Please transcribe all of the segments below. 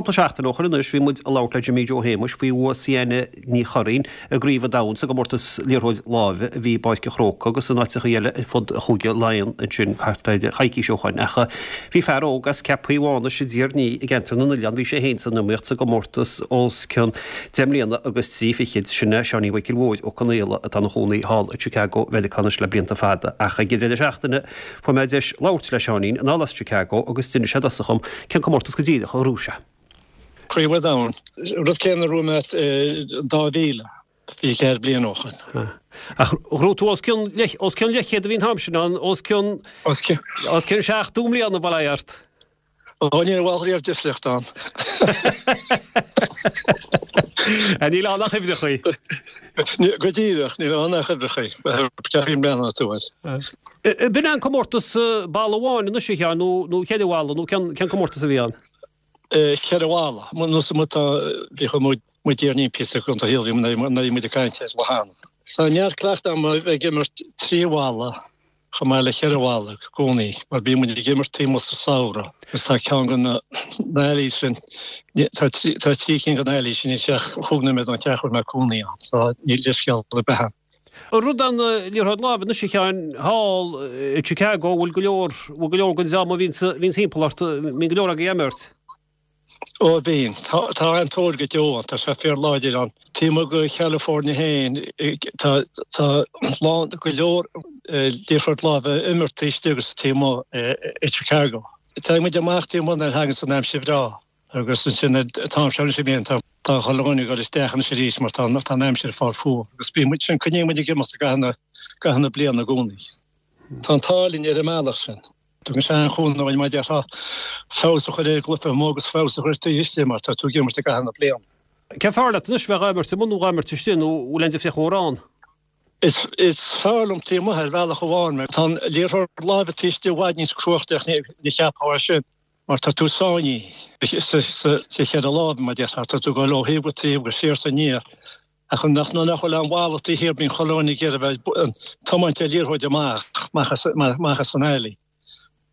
Cúpla seachtain ó shoin anois bhí muid ag labhairt le Jimí Joe Shéamuis faoi bhua Sienna Ní Churraoin i gCraobh an Domhain sa gcomórtas liathróid láimhe a bhí i bPáirc an Chrócaigh agus in áiteachaí eile ar fud Chúige Laighean ansin thart ar choicís ó shoin. Ach bhí fear óg as Ceapaí Mhánais i dTír an Fhia i gceantar na nOileán, bhí sé féin san iomaíocht sa gcomórtas os cionn deich mbliana agus 23 fichid, sin é Seáinín Mhichíl Mhóir Ó Conaola atá ina chónaí thall i Chicago Mheiriceá anois le blianta fada. Ach ag an deireadh seachtaine Fuair mé deis labhairt le Seáinín anall as Chicago agus d'inis sé i dtosach dhom cén comórtas go díreach a ghnóthaigh sé. Craobh an Domhain. Rud céanna a ghnóthaigh mé in 2000, 24 bliain ó shoin. Ach ghnóthaigh tú os cionn, os cionn leathchéad a bhí an t-am sin ann, os cionn, os cionn 70 mbliana, bail ó Dhia ort. Ó ní raibh riamh difríocht ann. Níl ann ach uimhreachaí. Go díreach, níl ann ach uimhreachaí. Ceapaim i mbliana tú air. B'in é an comórtas balla amháin anois a Sheáin nó cheithre bhalla nó cén comórtas a bhí ann? Cheithre bhalla. Nó sa tá bhí muid muid iarnín píosa contae Shíl bhí muid ag caint ar lá cheana. Tá neart cleachtadh agam a bheith ag imirt trí bhalla. chomh maith le cheithre bhalla i gcónaí mar bíonn muid ag imirt taobh amuigh sa samhradh agus tá ceann de na alleys sin, tá trí cinn de na alleys sin níl sé ach chúig nóiméad ón teach a bhfuil mé ag cónaí ann so níl leithscéal ar bith ann. An rud an liathróid láimhe anois a Sheáin thall i Chicago bhfuil go leor, bhfuil go leor den dream a bhíonns thimpeall ort, mbíonn go leor agaibh ag imirt? Ó bíonn. Tá an-tóir go deo ann. Tá sé fíorláidir ann. Taobh amuigh de Chalifornia féin, tá tá lán, go leor liathróid láimhe á imirt taobh istigh agus taobh amuigh i Chicago. Téann muid amach taobh amuigh nuair a thaganns an aimsir bhreá agus ansin an t-am seo anois a bhíonn tá tá chuile dhuine ag dul isteach anois arís mar tá tá an aimsir ag fáil fuar agus bíonn muid sin coinníonn muid ag imeacht i gcaitheamh na gcaitheamh na bliana i gcónaí. Tá an t-ádh linn ar an mbealach sin. Tugann sé an-chúnamh dúinn mar a déarfá feabhas a chur ar an gcluiche amuigh agus feabhas a chur taobh istigh mar tá tú ag imirt i gcaitheamh na bliana. Cé fearr leat anois bheith ag imirt amuigh nó ag imirt istigh nó bhfuil aon difríocht mhór ann? Is fearr liom taobh amuigh ar bhealach amháin mar tá an liathróid láimhe taobh istigh i bhfad níos cruachtaí ní cheapfá é sin mar tá tú sáinnithe sa cheithre lámha mar a déarfá tá tú ag dul ó thaobh go taobh agus siar is aniar. Ach nuair nach bhfuil aon bhalla taobh thiar bíonn chuile dhuine ag iarraidh bheith ag tiomáint an liathróid amach, amach as an alley.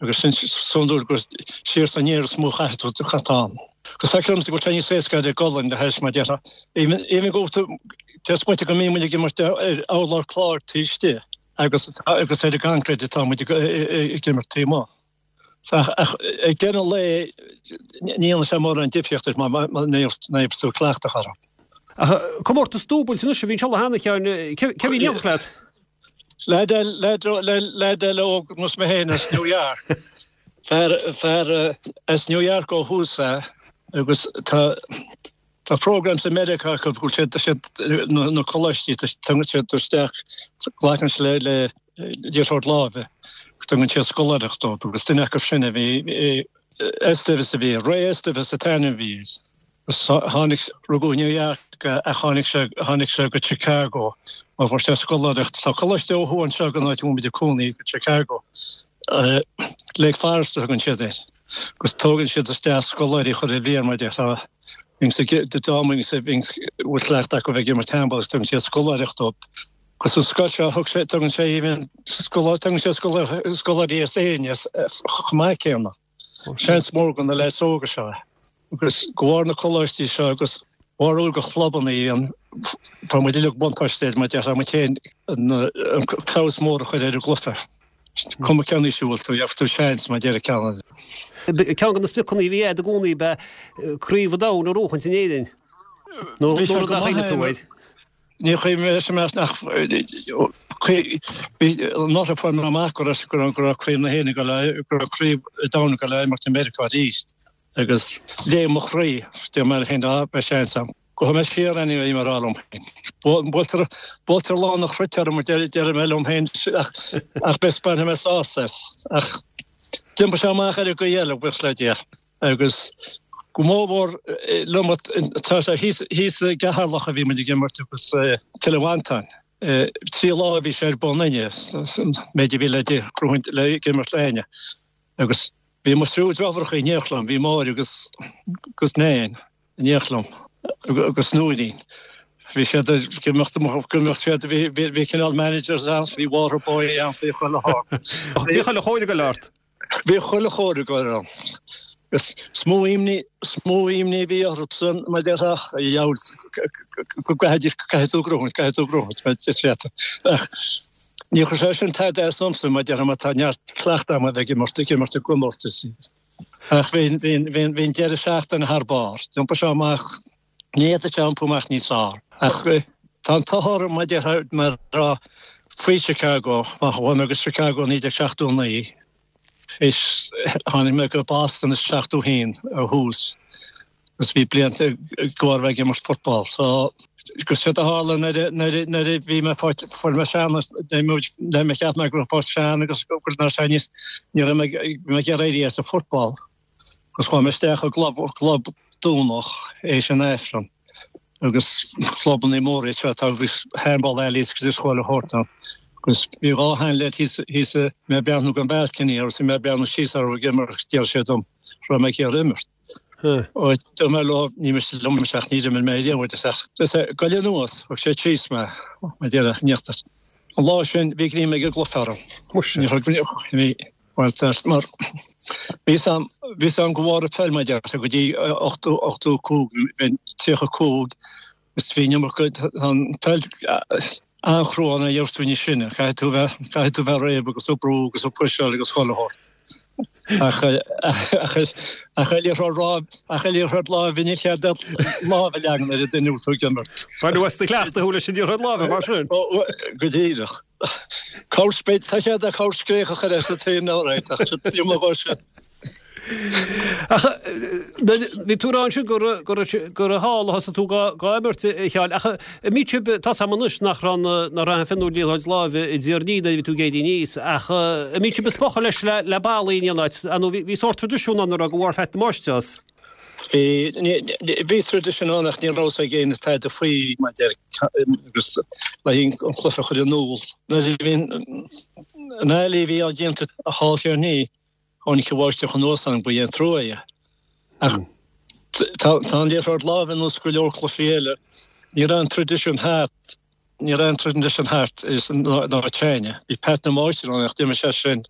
Agus sin is iondúil gur siar is aniar is mó a chaithfidh tú an t-am. Agus feictear domsa go bhfuil sé níos éasca ar an gcolainn le hais mar déarfá. Even go bhfuil tú, tá smaointe go mbíonn muid ag imirt ar urlár cláir taobh istigh agus agus ar an gconcrete atá muid ag imirt taobh amuigh. Ach ag deireadh an lae, ní dhéanann sé mórán difríocht duit má bhíonn tú cleachtach orthu. Ach comórtas dúbailte anois a bhí anseo cheana, a Sheáin, cé a bhí in éineacht leat? Leaid eile óg ar nós mé féin as New York. Fear as New York ó thús é agus tá Tá programs i Meiriceá acu go bhfuil siad, na coláistí, tugann siad isteach, glacann siad le liathróid láimhe, tugann siad scoláireacht dóibh agus duine acu sin a bhí, Esteves a bhí air, Ray Esteves an t-ainm a bhí air. Agus tháinig, rugadh i New York é ach tháinig sé, tháinig sé go Chicago mar fuair sé scoláireacht. Tá coláiste ó thuaidh anseo den áit a bhfuil muid ag cónaí go Chicago. Lake Forest a thugann siad air. Agus tógann siad isteach scoláirí chuile bhliain mar a déarfá. Bhíonns ag dream a bhíonns bhfuil cleachtadh acu bheith ag imirt handball agus tugann siad scoláireacht dóibh. Agus an scoil seo thug sé tugann sé even scoláirí tugann sé scoláirí as Éirinn as chomh maith céanna. Seans mór do na leaids óga seo é. Agus de bharr na coláistí seo agus bharúil de chlubanna an tá muid uilig buntáiste air mar déarfá muid féin an feabhas mór a chur ar an gcluiche. Cuma cén aois a bhfuil tú, gheobhaidh tú seans mar a deir ceann eile. Ceann de na spriocanna a bhí agat i gcónaí ab ea Craobh an Domhain a ghnóchaint in Éirinn. Nó Bhí sé rud go a maith chuimhnigh tú air. Ní chuimhin leis an meas nach bhí anuraidh fuair mé amach go raibh go raibh Craobh na hÉireann ag dul go raibh Craobh an Domhain ag dul a imirt i Meiriceá arís agus léim mo chroí, deir mé féin, á beidh seans agam. Gabhfaidh mé siar anyway, bhí mé ag rá liom féin. Buailtear, buailtear lán an chruit orm, a deir, deir mé liom féin, ach, ach beidh, bainfidh mé sásamh as. Ach d'iompaigh sé amach ar an gcaoi eile, buíochas le Dia. Agus go mór mhór liom, tá sé thíos, thíos i gCeatharlach a bhí muid ag imirt agus Cill Mhantáin. 3 lá a bhí sé ar bun inné, an méid a bhí le, le ag imirt le Áine. Agus bhí mo thriúr deartháireacha in éineacht liom, bhí Máire agus, agus Nain. in éineacht liom agus Nóirín. Bhí siad ag imeacht go mbeadh siad, bhí cineál managers ann, bhí water boy ann, bhí chuile shórt. Bhí chuile chóir ag dul ort. Bhí chuile chóir ag dul orm. Is mó imní, is mó imní a bhí orthusan mar déarfá, a dheabhail, go gcaithfidís, caithfidh tú gnóthaint, caithfidh tú gnóthaint, mar is leat. Ach níor chuir sé sin tada as domsa, mar déarfá, mar tá neart cleachtadh agam a bheith ag imirt, ag imirt i gcomórtais. Ach bhí, bhí, bhí, bhí an deireadh seachtaine thar barr. D'iompaigh sé amach, ní fhéadfadh sé iompú amach níos fearr. Ach tá an t-ádh orm, mar déarfá, mar faoi Chicago, mar chuaigh mé go Chicago 1979, Is tháinig mé go Boston i 71 ó thús agus bhí blianta go bharr bheith ag imirt football. So agus séard a tharla nuair a nuair a nuair a bhí mé fáilte fuair mé sean nuair mé cheap mé go raibh fáilte sean agus go raibh sé níos ní raibh mé bhí mé ag iarraidh éirí as an football agus chuaigh mé isteach i gclub club Domhnach éis an Aifreann. agus clubanna móra iad seo atá agus handball alleys agus chuile shórt ann. Agus bhí dá sheanleaid thíos thíos mé ag breathnú den balcony agus bhí mé ag breathnú síos orthu ag imirt agus d'iarr siad dom raibh mé ag iarraidh imirt. Ó dúirt mé leo ní miste liom ach níor imir mé riamh agus ach goil anuas thug siad síos mé mar déarfá in íochtar. An lá sin bhí greim ag an gcloch orm. Muise. Ní thug bhí Bhuel, tá, mar bhí 'fhios a'm, bhí 'fhios a'm go bharr an pheil mar déarfá go dtí 80, 85, bheinn 35 agus bhí an iomarca, tá an peil an-chrua nuair a gheobhas tú níos sine, caithfidh tú bheith, caithfidh tú bheith réidh agus ag brú agus ag puiseáil agus chuile shórt. Ach, ach, ach an liathróid láimhe, ach an liathróid láimhe níl cead lámh a leagan ar an duine a bhfuil tú ag imirt. Baineadh as do chleachtadh thú leis an liathróid láimhe mar sin? Go díreach. Tá cead ag corr scréach a chur as an taobh now right ach seo tí mo dhoirse. Ach bhí tú ag rá ansin gur gur thall a thosaigh tú dhá imirt a Sheáin ach an mbíodh sibh tá 's a'm anois nach raibh nach raibh aon fionnúir liathróid láimhe i dTír an Fhia nuair a bhí tú ag éirí aníos ach an mbíodh sibh ag spochadh leis le ballaí in aon áit nó bhí sórt traidisiún ann a raibh go bharr Pheait na Máistreás. Bhí, bhí traidisiún ann ach ní raibh 'fhios ag éinne tada faoi mar deir agus le an cluiche a chur in iúl. Nuair a bhí an alley a bhí á déanamh thall thiar ní tháinig an bháisteach anuas ann ba é an trua é. Ach tá tá an liathróid láimhe ar nós go leor cluichí eile. Ní raibh an traidisiún thart, ní raibh an traidisiún thart san áit s'againne. Bhí Pat na Máistir ann ach d'imigh sé sin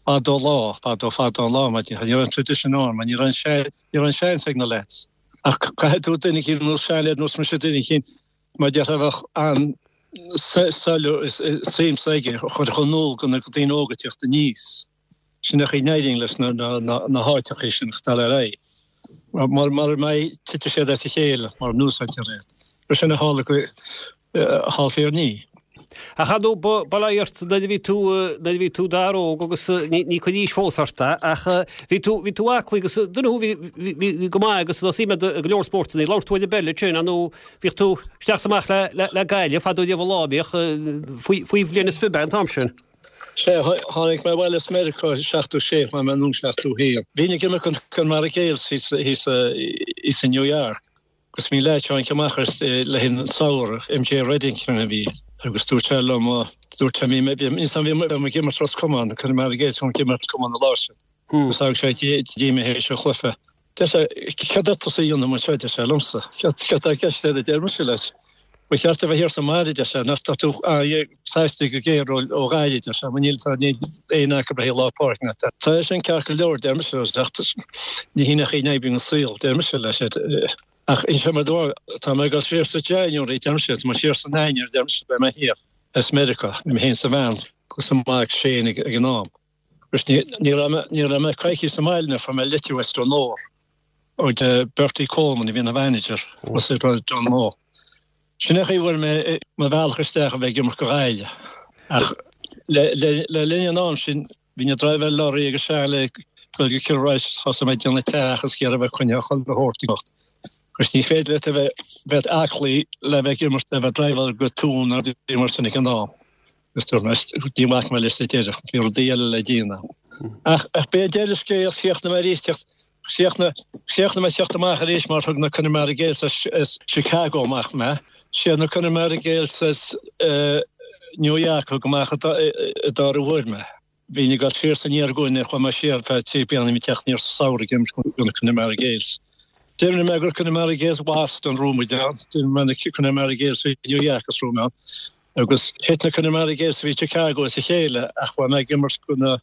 fadó lá, fadó fadó an lá, mar ní raibh an tradition ann, mar ní raibh an ní raibh an seans ag na lads. Ach caithfidh tú duine eicínt nó seanleaid nós mise duine eicínt mar déarfá a bheadh an suim s'aige a chur in iúl do na daoine óga ag teacht aníos. Sin é an chaoi a n-éiríonn leis na na háiteachaí sin ag dul ar aghaidh. Mar mara mbeidh titfidh siad as a chéile mara n-úsáidtear iad. Sin a tharla go thall thiar ní. Ach ar ndóigh, ba bail ó Dhia ort nuair a bhí tú, nuair a bhí tú d'fhear óg agus ní, ní cuid aois fós ort é, ach bhí tú, bhí tú aclaí agus duine thú bhí, bhí, bhí go maith agus tá suim agat i go leor spórtanna. Labhair tú ar an bpeil ansin, ar ndóigh, bhíodh tú isteach is amach le, le, le Gaillimh fadó riamh an lá, bhíodh, faoi, faoi bhliain is fiche an t-am sin. Sea, tháinig mé abhaile as Meiriceá i 76, chuaigh mé anonn 71. Bhínn ag imirt do Connemara Gaels thíos, thíos, thíos i New York. Agus bhí leaid tháinig amach as le haghaidh an samhradh, MJ Reddington a bhí agus dúirt sé liom, dúirt sé, bhí mé, bhí mé ag imirt Ros Comáin, Connemara Gaels ag imirt Ros Comáin an lá sin. Agus thug sé dtí mé théis an chluiche. Deir sé, céard atá tusa a dhéanamh anseo, a deir sé liomsa. Céard atá i gceist agat, a deir mise leis. Ba cheart a bheith thiar sa mbaile, a deir sé, nach tá tú sásta go géar ó Ghaillimh, a deir sé, mar níl aon acu le haghaidh lá páirce ná. Tá sin ceart go leor, a deir mise, ach ní hin an chaoi a n-oibríonn an saol, a deir mise leis. Ach inseoidh mé duit, tá mé ag dul siar sa January, a deir mise, tá mé siar san Eanáir, a deir mise, beidh mé thiar as Meiriceá, bhí mé féin is a bhean agus a mac Shane ag an am. Agus ní raibh mé, ní raibh mé coicís sa mbaile nuair a fuair mé litir as Donore ó Bertie Coleman a bhí ina mhanager as Donore. Sin é an chaoi a bhfuair mé mo bhealach isteach a bheith ag imirt do Ghaillimh. Ach le linn an am sin bhínn ag driveáil lorry agus seal ag dul go Cill Rois thosaigh mé ag déanamh teach agus ag iarraidh a bheith coinnithe chuile shórt ag imeacht. Agus ní féidir leat a bheith aclaí le bheith ag imirt le bheith ag driveáil go Tuam nó rudaí mar sin ag an am. Agus dúirt mé, ní bhacfaidh mé leis sa deireadh, bhí rudaí eile le déanamh. Ach b'é deireadh scéil, chríochnaigh mé arís teacht, chríochnaigh, chríochnaigh mé teacht amach arís mar thug na Connemara Gaels as Chicago amach mé. Siad na Connemara Gaels as New York a thug amach i dara huair mé. Bhínn ag dul siar is aniar i gcónaí, chuaigh mé siar ar feadh 3 bliana, bhí teacht aniar sa samhradh ag imirt do na Connemara Gaels. D'imir mé do Connemara Gaels Boston, raibh muid ann, d'imir mé na Connemara Gaels i New York is raibh mé ann. Agus thit na Connemara Gaels a bhí i Chicago as a chéile ach chuaigh mé ag imirt do na.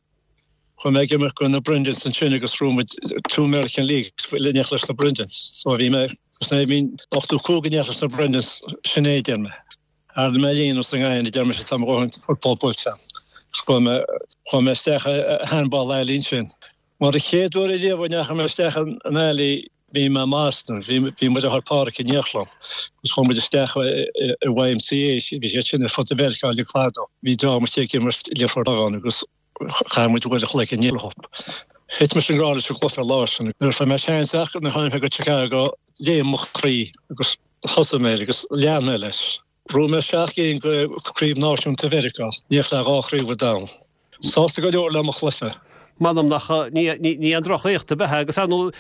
Chuaigh mé ag imirt do na Brendans ansin agus bhuaigh muid two American Leagues in éineacht leis na Brendans. So bhí mé, agus nuair a bhí 85 in éineacht leis na Brendans, sin é a deir mé. Ardaigh mé líon os an ngain a deir mise tá mo dhóthain football buailte agam. Agus chuaigh mé, chuaigh mé isteach i handball alley ansin. Mar an chéad uair ariamh a ndeachaigh mé isteach in alley bhí mé i mBoston, bhí, bhí mo dheartháir Páraic in éineacht liom agus chuaigh muid isteach i YMCA, bhí siad sin ar fud Mheiriceá uilig fadó. Bhí dream istigh ag imirt liathróid láimhe ann agus Chaith muid uair a chloig in éineacht leo. Thit mise i ngrá leis an gcluiche an lá sin. Nuair a fuair mé seans ach nuair a tháinig mé go Chicago léim mo chroí agus thosaigh mé air agus lean mé leis. Bhuaigh mé 7 gcinn de Chraobh Náisiúnta Mheiriceá, in éineacht le dhá chraobh an domhain. Sásta go leor le mo chluiche. M'anam nach ní aon droch-éacht ab ea é agus ar ndóigh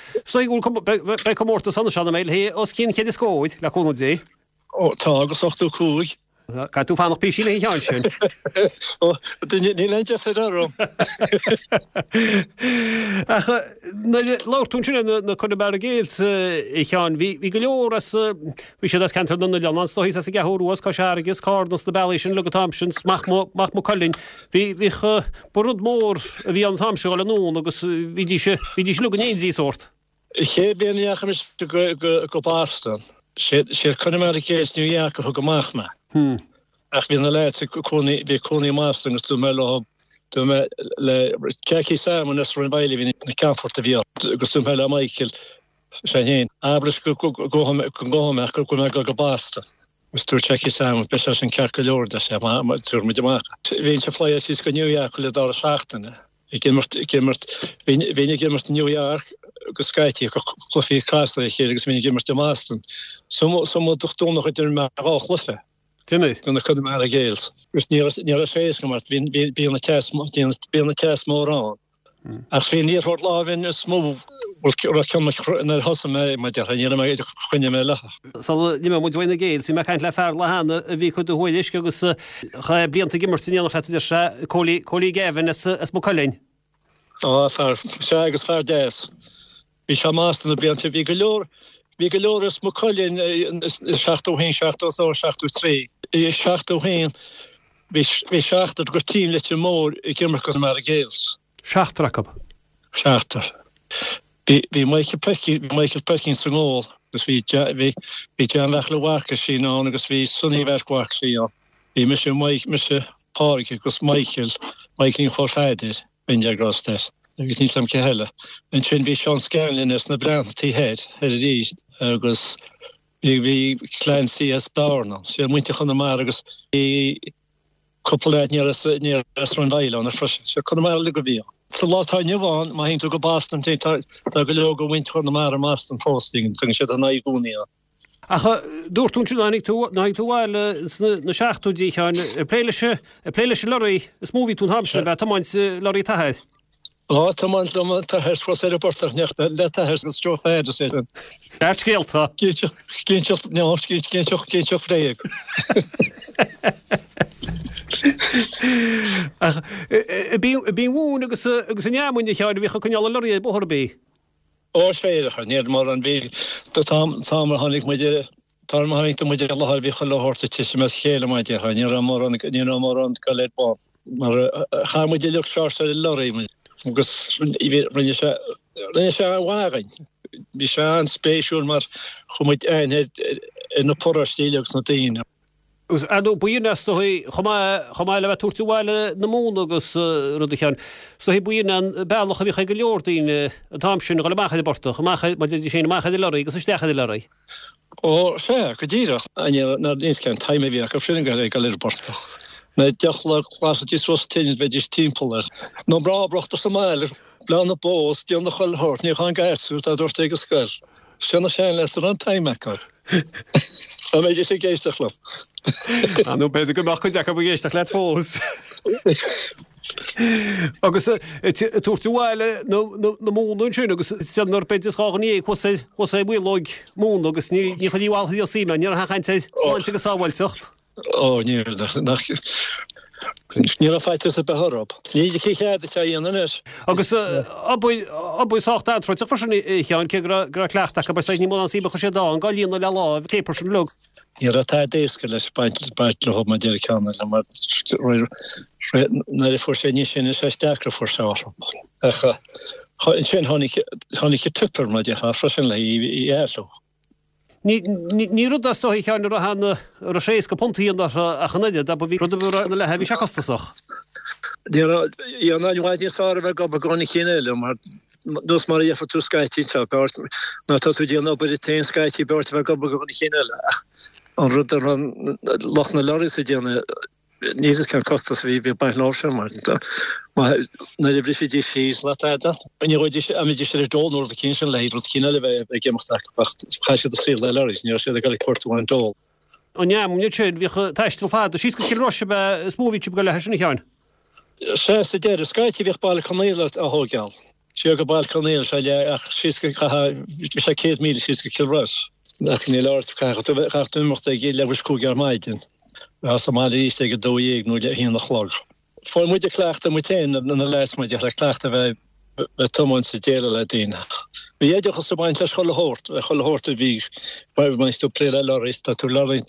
beidh comórtas ann ansin a mbeidh léi os cionn chéad scóir, le cúnamh Dé. Ó, tá, agus 85. Caithfidh tú fanacht píosaín leis an cheann sin. Ó, níl aon deifir orm. Ach nuair a labhair tú ansin ar na Connemara Gaels, a Sheáin, bhí go leor as, bhí siad as ceantar na n-oileán is dóigh, as an gCeathrú Rua, as Cois Fharraige, as Carna, as na bealaí sin uilig an t-am sin, 's Mac Mac Maigh Cuilinn. Bhí, bhíodh, ba rud mór a bhí ann an t-am sin a dhul anonn agus bhídís, bhídís uilig in éindí sórt. An chéad bhliain a ndeachaigh mise go Boston, siad Connemara Gaels New York a thug amach mé. Ach bhí na leaids ag cónaí, bhí cónaí i mBoston agus dúirt mé leo, dúirt mé le Jackie Simon as Rinn Mhaoile a bhí na Ceannfort a bhí ann agus dúirt mé le Michael, sé féin, abair leis go gabhfaidh mé ach go bhfuil mé ag dul go Boston. Agus dúirt Jackie Simon, beidh sé sin ceart go leor, deir sé, tabharfaidh muid amach. Bhínn ag flyáil síos go New York chuile dara seachtaine. Ag imirt, ag imirt, bhínn, bhínn ag imirt i New York go scaití, cluichí trasna ar a chéile agus bhínn ag imirt i mBoston. So, so Domhnach a d'imir mé dhá chluiche. D'imir. Do na Connemara Gaels. Agus ní raibh, ní raibh sé éasca mar bhí, bhí, bíonn an teas, bíonn, bíonn an teas mór ann. Ach bhí an liathróid láimhe is mó, bhuel, raibh ceann mo, nuair a thosaigh mé, mar déarfá, ní raibh mé, choinnigh mé léi. Sula n-imeoidh muid uaidh na Gaels, bhí mé ag caint le fear lá cheana a bhí ag cur do thuairisc agus chaith blianta ag imirt in éineacht leat, a deir sé, Cóilí, Cóilí Gavin as, as Maigh Cuilinn. Á, fear, sea agus fear deas. Bhí sé i mBoston na blianta, bhí go leor, bhí go leor as Maigh Cuilinn i 71, 72, 73. I 71 bhí, bhí seachtar de team Leitir Móir ag imirt do Connemara Gaels. Seachtar acu. Seachtar. Bhí, bhí Michael Perkins, bhí Michael Perkins sa ngól agus bhí, bhí, bhí John Bheartla Mharcaisín ann agus bhí Sonny Mharc Mharcaisín ann. Bhí mise, Mike, mise, Pádraig agus Michael, Michaelín Chóil Pheadair, Prendergast air agus níl 's a'm cé heile. Ansin bhí Seán Scanlon as na Breathnaigh taobh thoir, thoir arís agus bhí, bhí Clancy as Bearna, sé muintir Chonamara agus bhí, Cúpla leaid ní raibh as Rinn Mhaoile ann freisin. Sé Conamara uilig a bhí ann. Sa lá atá inniu ann, má théann tú go Boston, tá go leor de mhuintir Chonamara i mBoston fós, tagann siad in aghaidh i gcónaí ann. Ach dúirt tú ansin, tháinig tú, tháinig tú abhaile sna na seachtóidí, a Sheáin, ag plé leis, ag plé leis an lorry is mó a bhí tú an t-am sin, ag tiomáint lorry t'athar. Á, tiomáint liom an t-athair suas ar an bportach in éineacht le t'athair agus Joe Pheaid is é sin. Neart scéalta. Cinnteacht, no, cinnteacht, cinnteacht bhréag. Ach ab í an mhóin agus agus an fheamainn a Sheáin a bhíodh ag coinneáil an lorry ar bóthar ab í? Ó, is féidir, níl mórán, bhí, tá an t-am a tháinig muid ar Tá an tharraingt muid ar láthair bhí chuile shórt ag titim as a chéile mar a déarfá, ní raibh mórán, ní raibh mórán ag dul ar bun mar chaith muid uilig seort ar an lorry agus rinne sé, rinne sé an-mhaith againn. Bhí sé an-spéisiúil mar chuir muid aithne ar na paróistí agus na daoine. Agus ar ndóigh, b'in is dóigh, chomh maith, chomh maith le bheith ag tabhairt abhaile na móna agus rud a Sheáin, is dóigh b'in an bealach a bhíodh ag go leor daoine an t-am sin a dhul amach ar an bportach, amach ar, mar a déarfaí féin, amach ar an lorry agus isteach ar an lorry. Ó, sea, go díreach. Níl cén time a bhí acu sin ag dul ar an bportach. Na deoch le glasfaidís suas tine bheidís timpeall air. Na mná brachta sa mbaile, bleán na bó is déanamh chuile shórt, ní chaithfinn gasúr dá dúirt ag an scoil. Sin na seanleaids a raibh an time acu. Dá mbeidís ag éisteacht liom. Á nó b'fhéidir go mbeadh cuid acu ag éisteacht leat fós. Agus ag tabhairt abhaile na móna ansin agus siad nuair b'fhéidir is dhá ghné thuas ar thuas ar mhaolóig móna agus ní ní chuirfí mhaith thíos í, ní raibh aon chaint ar sláinte agus sábháilteacht. Ó, ní raibh, nach. Ní raibh faitíos ar bith orthu. Ní chead duit é a dhéanamh anois. Agus obair, obair sách anróiteach freisin a Sheáin, cé go raibh, go raibh cleachtadh acu, is ní mórán suim a chuir siad ann, dhá líonadh le láimh, céapar sin uilig. Ní raibh tada éasca leis baint, baint leo mar deir ceann eile, mar nuair a fuair sé níos sine is deacra a fuair sé orthu. Ach ansin tháinig, tháinig an tipper mar déarfá freisin le í a athrú. Ní rud é is dóigh a Sheáin a raibh an, a raibh sé éasca punt a dhéanamh orthu ach an oiread, abair bhí rud a bhí ina leithéid, bhí sé costasach. Ní raibh, i bhfad níos fearr a bheith ag obair do dhuine eicínt eile mar nós mar a dhéanfá tú scaití anseo, b'fhearr má tá tú ag déanamh obair duit féin scaití b'fhearr a bheith ag obair do dhuine eicínt eile ach an rud a raibh lucht na lorries ag déanamh Níl fhios cén costas a bhí ag baint leo sin mar nuair a bhrisfidís síos le tada, ní ghabhaidís an mbeidís ar dole nó rud eicínt sin le rud eicínt eile a bheith ag imeacht acu ach chaith siad a saol le lorries, ní raibh siad ag dul ag cuartú an dole. An fheamainn ansin, bhíodh taisteal fada síos go Cill Rois ab ea is mó a bhí sibh ag dul leithe sin a Sheáin? Sea, sa deireadh, scaití bhíodh Baile Conaola á thóigeáil. Siar go Baile Conaola, sea, le ach síos go, chaithfeá, bhí sé 100 míle síos go Cill Rois. Ach níl ort, caithfidh tú, caithfidh tú imeacht ag leathuair tar éis 5 ar maidin. Bheifeá sa mbaile arís ag a 12 nó a haon a chlog. Fuair muid ag cleachtadh muid féin, na leaids muid ag cleachtadh bheith bheith tiomáint is déileáil le daoine. Bhí oideachas ag baint leis chuile shórt, chuile shórt a bhí, bhain tú plé le lorries, tá tú lorry,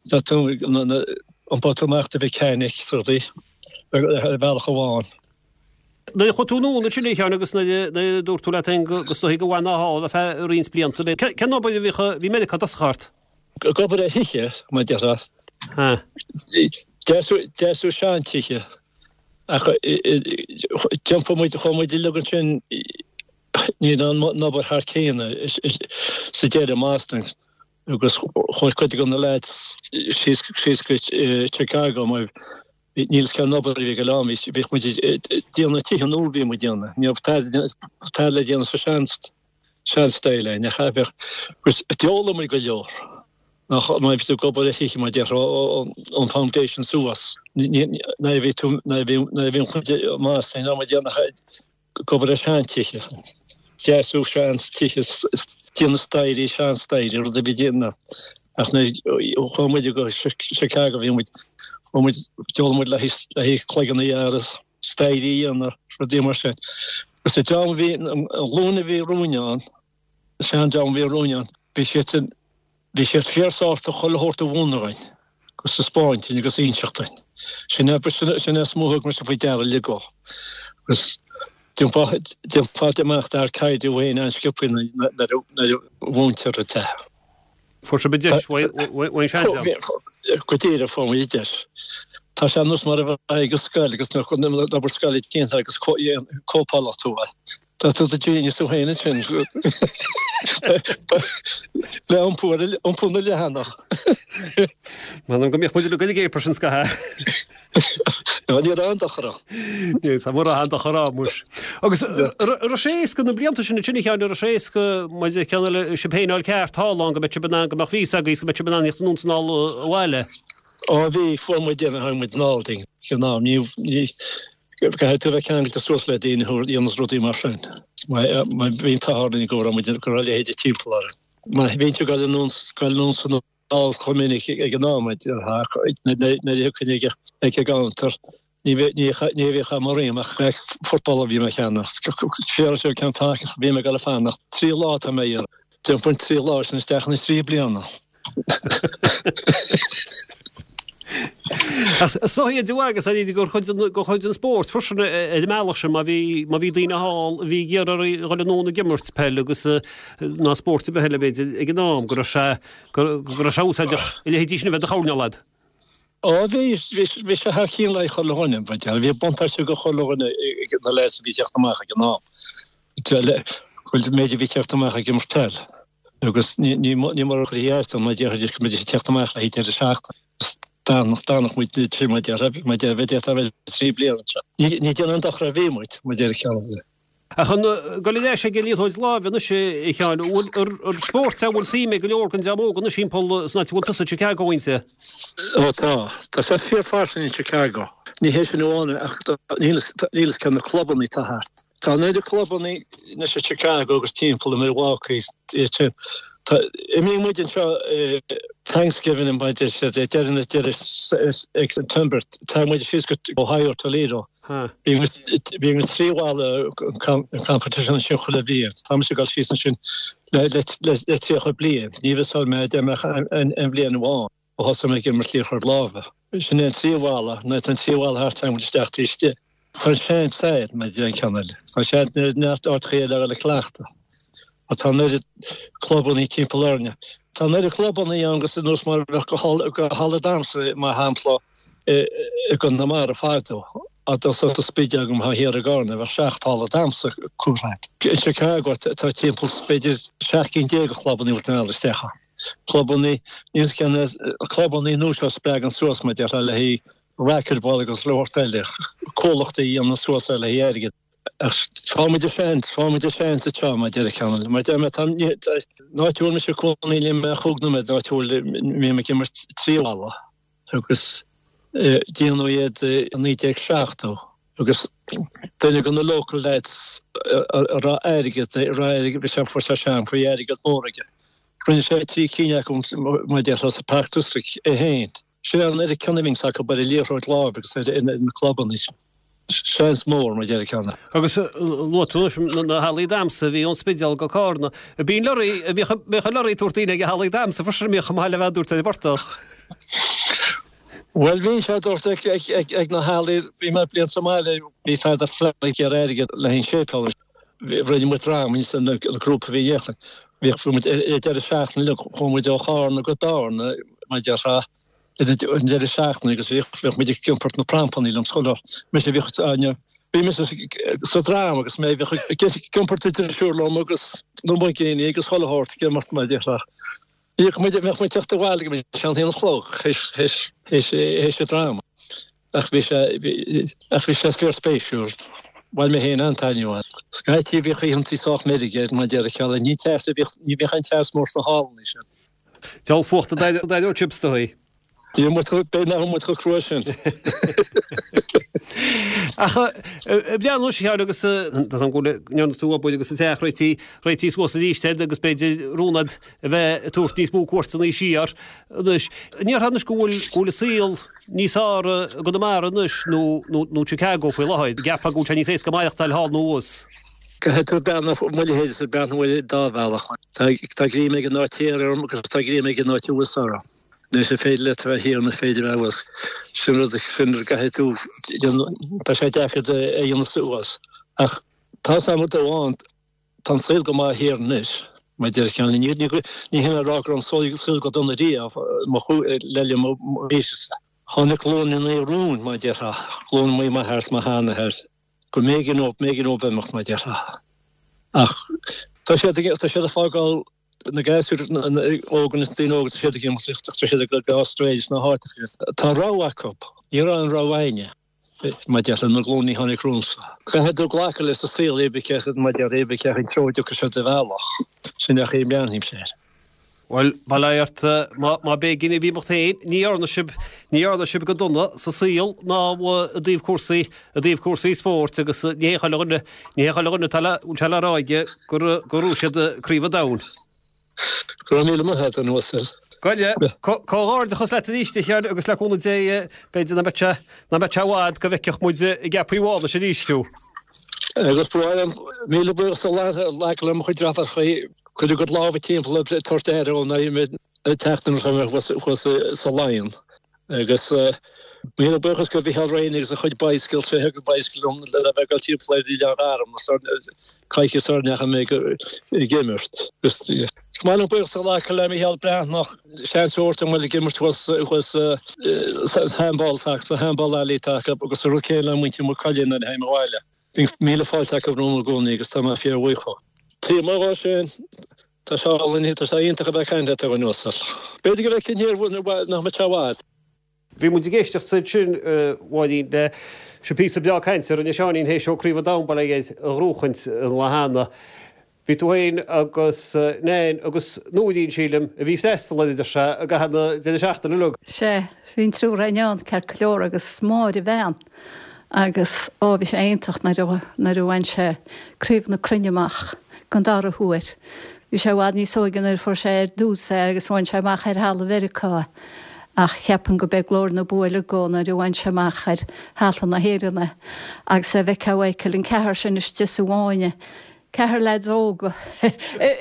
tá tú, iompóidh tú amach do mechanic, is rudaí, ar bhealach amháin. Nuair a chuaigh tú anonn ansin a Sheáin agus nuair a dúirt tú leat féin go is dóichí go bhfanfá thall ar feadh roinnt blianta, cén obair a bhíodh, bhí Meiriceá i dtosach ort? Ag obair ar thithe, mar a déarfá. Deasú seantithe. Ach d'iompaigh muid, chuaigh muid uilig ansin, ní raibh an obair thar cionn sa deireadh i mBoston agus chuaigh cuid de na lads síos go Chicago mar níl fhios cén obair a bhí ag dul ann, bhíodh muid ag déanamh tithe nua a bhí muid ag déanamh, ní raibh tada le déanamh sa sean sean-style é, nach ea? Bheadh, agus d'fhoghlaim muid go leor, nach, má bhí tú ag obair ar thithe, mar a déarfá, ón foundation suas, nuair a bhí tú, nuair a bhí, nuair a bhí an chuid i mBoston, ní raibh muid ag déanamh ach ag obair ar sheantithe, deasú seantithe, déanamh staighrí, seanstaighrí, rud a bhí déanamh. Ach nuair a chuaigh muid go Chicago, bhí muid, chuaigh muid, d'fhoghlaim muid le haghaidh cloigeanna a ghearradh. staighrí a dhéanamh, rudaí mar sin. Agus an dream a bhí, an ghlúin a bhí romhainn ann, an sean-dream a bhí romhainn ann, bhí siad sin, bhí siad fíor-sásta chuile shórt a mhúineadh dhuinn, agus taispeáint dhuinn agus inseacht dhuinn. Sin é, sin é is mó a thug mise faoi deara uilig ó. Agus d'iompófá, d'iompófá amach d'fhear caide thú féin an-sciobtha nuair a mhúintear duit é. Fuair sibh an deis, bhain sé an. Go díreach, fuair muid an deis. Tá sé ar nós mar a bheith ag an scoil agus an obair scoile déanta agus cóipeálfaidh tú é. Tá tú do genius tú féin ansin. Le iompú ar iompú na leathanach. M'anam go mbeadh muid uilig ag éipear sin scaitheamh. Ní raibh aon dochar ann. Ní raibh aon dochar ann, muis. Agus raibh sé éasca na blianta sin ansin a Sheáin, raibh sé éasca maidir le ceann eile, sibh féin a fháil ceart thall ann go mbeadh sibh in ann, go mbeadh víosa agaibh is go mbeadh sibh in ann theacht anonn is anall abhaile? Ó bhí, fuair muid déanamh, tháinig muid anall dinn ag an am. Ní, ní, caithfidh tú a bheith ceangailte suas le daoine a dhéanas rudaí mar sin. Má bhí an t-ádh orainn go raibh muid, go raibh a leithéide timpeall orainn. Má bhíonn tú ag dul anonn, dul anonn is anall chomh minic ag an am, nuair a thiocfainn ag an gcounter, ní bhíodh am orm ach football a bhí mé a cheannach. Féar seo ceann taca, bhí mé ag dul ag fanacht. 3 lá atá mé a iarraidh. D'iompaigh an 3 lá sin isteach ina 3 bliana. Is dóigh idir agus ar gur chuid den gur chuid den spórt freisin ar an mbealach sin má bhí má bhí daoine thall a bhí ag iarraidh a dhul anonn ag imirt peil agus ná spórt ar bith eile b'fhéidir ag an am go raibh sé go raibh sé úsáideach a leithéidí sin a bheith do choinneáil leat. Ó bhí, bhí sé thar cionn le chuile dhuine, bhí buntáiste go chuile dhuine ag na lads a bhí ag teacht amach ag an am. An méid a bhí ag teacht amach ag imirt peil agus ní mar a chuirfí aird ann, mar déarfaidís go mbeidís ag teacht amach le haghaidh deireadh seachtaine. D'fhanfadh muid trí mar déarfá, mar déarfá, bheith 3 bliana anseo. Ní déanamh aon dochar a bhí muid, mar déarfadh ceann. Ach chun dul ar ais ag an liathróid láimhe anois, a Sheáin, an spórt é a bhfuil suim ag go leor den dream óg anois thimpeall san áit a bhfuil tusa, Chicago, inti? Ó tá. Tá sé fíorfhairsing in Chicago. Ní hé sin amháin ach níl fhios cé na clubanna atá thart. Tá an oiread clubanna anois i Chicago agus timpeall i Milwaukee iad sin. Tá, imríonn muid anseo i. Thanksgiving mar a deir siad, deireadh na deireadh ag September, tagann muid síos go Ohio, Toledo. Bíonn bíonn trí bhalla competition ansin chuile bhliain. Tá mise ag dul síos ansin le le 30 bliain. Ní mhisseáil mé deich mbeadh aon bhliain amháin ó thosaigh mé ag imirt liathróid láimhe. Sin é an tríú bhalla, nuair atá an tríú bhalla thart tagann muid isteach taobh istigh. Tá an seans air, mar a deir an ceann eile. Tá seans ar neart áiteacha eile a dhul ag cleachtadh. Ach tá an oiread clubannaí timpeall orainne. Tá an oiread clubannaí ann agus nós mar a bheadh go halla damhsa, mar shampla, i gConamara fadó. Ach dá sa Spidéal agam thá thiar i gCarna, bheadh seacht halla damhsa curtha agat. In Chicago tá timpeall b'fhéidir 17 cinn de chlubannaí a bhfuil tú in ann isteach ann. Clubannaí, níl ceann, clubannaí nua seo a spreagann suas mar a déarfá le haghaidh racquetball agus spórt eile, comhlachtaí a dhéanann suas é le haghaidh airgid. Ach fágfaidh muid an seans, fágfaidh muid an seans anseo, mar a deir an ceann eile. Mar a deir mé, tá, an áit a bhfuil mise ag cónaí níl mé ach chúig nóiméad ón áit a bhfuil, mbím ag imirt tríú halla agus déanadh iad i 1970 agus duine de na local lads a raibh airgead, a raibh airgead, bhí sé, fuair sé sean, bhí airgead mór aige. Rinne sé trí cinn acu, mar a déarfá, sa Park District é féin. Sin é an oiread cion a bhíonns acu ar an liathróid láimhe agus ar na clubanna sin. Seans mór, mar a deir an ceann. Agus luaigh tú anois na hallaí damhsa a bhí ón Spidéal go Cárna. Bíonn lorraí, bhíodh an lorraí ag tabhairt daoine ag na hallaí damhsa freisin a mbíodh chomh maith le bheith ag dúirt ar an bportach. Bhuel bhí sé ag dúirt ag na hallaí, bhí mé bliain sa mbaile, bhí Father Flannery ag iarraidh airgead le haghaidh an séipéal. Rinne muid dráma ins an grúpa a bhí in Éirinn. Bhíodh muid ar deireadh seachtaine uilig, chuaigh muid ó Chárna go Bearna, mar a déarfá, ar an deireadh seachtaine agus bhíodh, bhíodh muid ag iompar na prampannaí liom scoile. Mise bhíodh, bhí mise sa dráma agus mé bhíodh ag iompar na drisiúr liom agus na muigíní agus chuile shórt ag imeacht mar a déarfá. Bhíodh muid, bheadh muid ag teacht abhaile go mbíodh sé an haon a chlog théis, théis, théis an dráma. Ach bhí sé, ach bhí sé fíorspéisiúil. Bhain mé féin an-taitneamh as. Scaití bhíodh oícheantaí sách meirge ar mar a déarfá ceal, ní teas a bhíodh, ní bhíodh aon teas mór sna hallanna sin. Diabhal fuachta d'éireodh sibh istoíche. Níl muid chomh, b'fhéidir nach bhfuil muid chomh crua sin. Ach breathnú anois a Sheáin agus tá an go ndearna tú obair agus an teach réití, réití suas arís agat agus b'fhéidir rún agat a bheith ag tabhairt níos mó cuairteanna siar anois. An ndéarfá anois go bhfuil, go bhfuil an saol níos fearr i gConamara anois nó, nó, nó Chicago faoi láthair? Ceapfá go bhfuil sé níos éasca maireachtáil thall nó thuas? Caithfidh tú breathnú, mo leithéidse, breathnú ar an dá bhealach. Tá, tá greim ag an áit thiar orm agus tá greim ag an áit thuas orm. Anois an féidir leat a bheith thiar nó an féidir a bheith thuas? Sin rud, sin rud a gcaithfidh tú déanamh, tá sé deacair a dhéanamh suas. Ach tá 's agam rud amháin, tá an saol go maith thiar anois, mar a deir ceann, ní, ní, ní hin le rá go raibh an saol, saol go dona riamh, mo chú, le linn mo aoise-sa. Tháinig glúin i ndiaidh romhainn, mar a déarfá, glúin m'athar is mo sheanathair, go mb'éigean dóibh, mb'éigean dóibh imeacht, mar a déarfá. Ach tá siad, tá siad ag fágáil Na gasúir óga, na daoine óga, tá siad ag imeacht, tá siad ag dul go Australia is na háiteacha sin. Tá rogha acu. Ní raibh an rogha againne, mar a déarfá, na glúine a tháinig romhamsa. Caithfidh tú glacadh leis an saol, pé ar bith, mar a déarfá, pé ar bith cén treo a dtiocfaidh sé do bhealach. Sin é an chaoi a mbreathnaímse air. Bhuel, bail ó Dhia ort, má b'éigean daoibh imeacht féin, ní dhearna sibh, ní dhearna sibh go dona sa saol ná i dtaobh cúrsaí, i dtaobh cúrsaí spóirt agus ní hé chuile dhuine, ní hé chuile dhuine atá le, bhfuil sé le rá aige gur, gur bhuaigh siad Craobh an Domhain. Go raibh míle maith agat, an uasal. Gabh i leith. Comhghairdeachas leat arís, a Sheáin, agus le cúnamh Dé, b'fhéidir nach mbeidh sé, nach mbeidh sé i bhfad go bhfeicfeadh muid i gceapaí Mhánais arís thú. Agus ba mhaith liom míle buíochas a ghlacadh le mo chuid deartháireacha, cuir a gcuid lámha timpeall ag tabhairt aire dom nuair a bhí mé ag teacht anuas thuas sa Laighean. Agus míle buíochas go Mhicheál Rainey agus a chuid bicycle, sé a thug an bicycle dom le bheith ag dul timpeall ar Oileán Gharman coicís sara ndeachaigh mé ag imirt. Agus is maith liom buíochas a ghlacadh le Micheál Breathnach, seans a thabhairt dom dul ag imirt thuas thuas sa handball sa handball alley atá acu agus an rud céanna le muintir Maigh Cuilinn nuair a théim abhaile. Bíonn míle fáilte acu romham i gcónaí agus tá mé fíorbhuíoch dhó. Taobh amuigh dhó sin, Tá sé álainn, tá sé iontach a bheith ag caint leat a dhuine uasail. B'fhéidir go bhfeicfinn thiar nach mbeidh sé i bhfad. Bhí muid ag éisteacht ansin, a Mháirín, le sin píosa breá cainte a rinne Seáinín théis dó Craobh an Domhain bail ó Dhia air a ghnóchaint an lá cheana. Bhí tú féin agus Nain agus Nóirín, sílim, a bhí ag freastal air, a deir sé, i gcaitheamh na deireadh seachtaine uilig. Sea, bhí an triúr againn ann, ceart go leor, agus Máire a bhean. Agus, ó, bhí sé iontach nuair a, nuair a bhain sé Craobh na Cruinne amach don dara huair. Bhí sé i bhfad níos óige nuair a fuair sé ar dtús é agus bhain sé amach ar thalamh Mheiriceá é. Ach cheapfainn go b'é glór na bua uilig dhó nuair a bhain sé amach ar thalamh na hÉireann é. Agus a bhfeicfeá Mhichael an ceathrar sin istigh sa bhfáinne, ceathrar leaids óga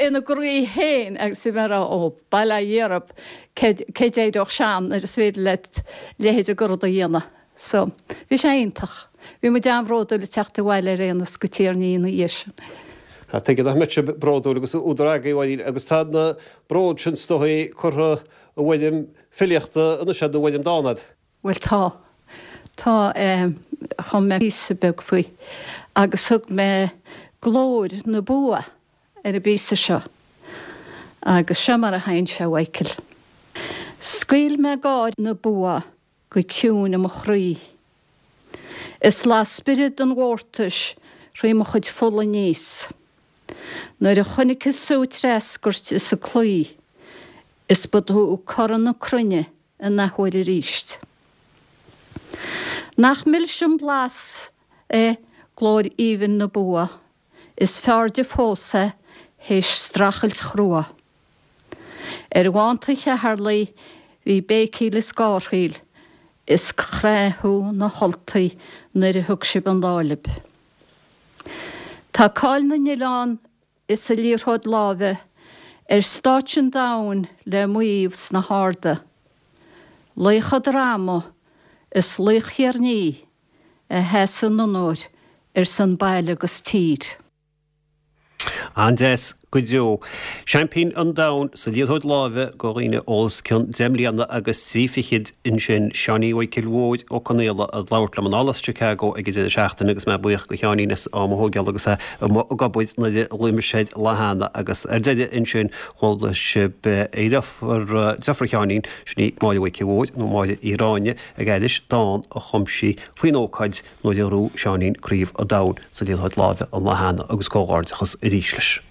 ina gcroí féin agus bhí mé ag rá ó, bail ó Dhia oraibh, cé d'éireodh sean nuair is féidir leat leithéid de rud a dhéanamh. So, bhí sé iontach. Bhí muid an-bhródúil ag teacht abhaile ar aon nós go Tír an Fhia ina dhiaidh sin. Ah, tuige nach mbeadh sibh bródúil agus údar agaibh, a Mháirín, agus tá an bród sin is dóigh curtha i bhfoirm filíochta anois agat nó i bhfoirm dána agat. Bhuel tá. Tá, eh, chum mé píosa beag faoi agus thug mé Glór na Bua ar an bpíosa seo. Agus seo mar a théann sé, a Mhichael. Scaoil mé gáir na bua go ciúin i mo chroí. Is las spiorad an mhórtais thrí mo chuid fola aníos. Nuair a chonaiceas thú ag treascairt is ag cloí, is ba tú cora na cruinne in athuair arís. Nach milse an blas é glór aoibhinn na bua, Is fearrde fós é théis streachailt chrua. Ar bhánta Cheatharlaigh bhí béicíl is gárthaíl is chraith thú na hUltaigh nuair a thug sibh an lá libh. Tá cáil na n-oileán is an liathróid láimhe ar stáitse an domhain le maíomh sna harda. Laoch an drama is laoch Thír an Fhia a sheas in onóir ar son baile agus tír. An-deas go deo. Seaimpín an Domhain sa liathróid láimhe do dhaoine os cionn 10 mbliana agus 3 fichid ansin, Seáinín Mhichíl Mhóir Ó Conaola ag labhairt liom anall as Chicago ag an deireadh seachtaine agus mé buíoch do Sheáinín as am a thógáil agus é amuigh ag obair nuair a ghlaoigh mise air lá cheana agus ar deireadh ansin chuala sibh a dheirfiúr, deirfiúr Sheáinín, sin í Máire Mhichíl Mhóir nó Máire Uí Ráinne, ag aithris dán a chum sí faoin ócáid nuair a ghnóthaigh Seáinín Craobh an Domhain sa liathróid láimhe an lá cheana agus comhghairdeachas arís leis.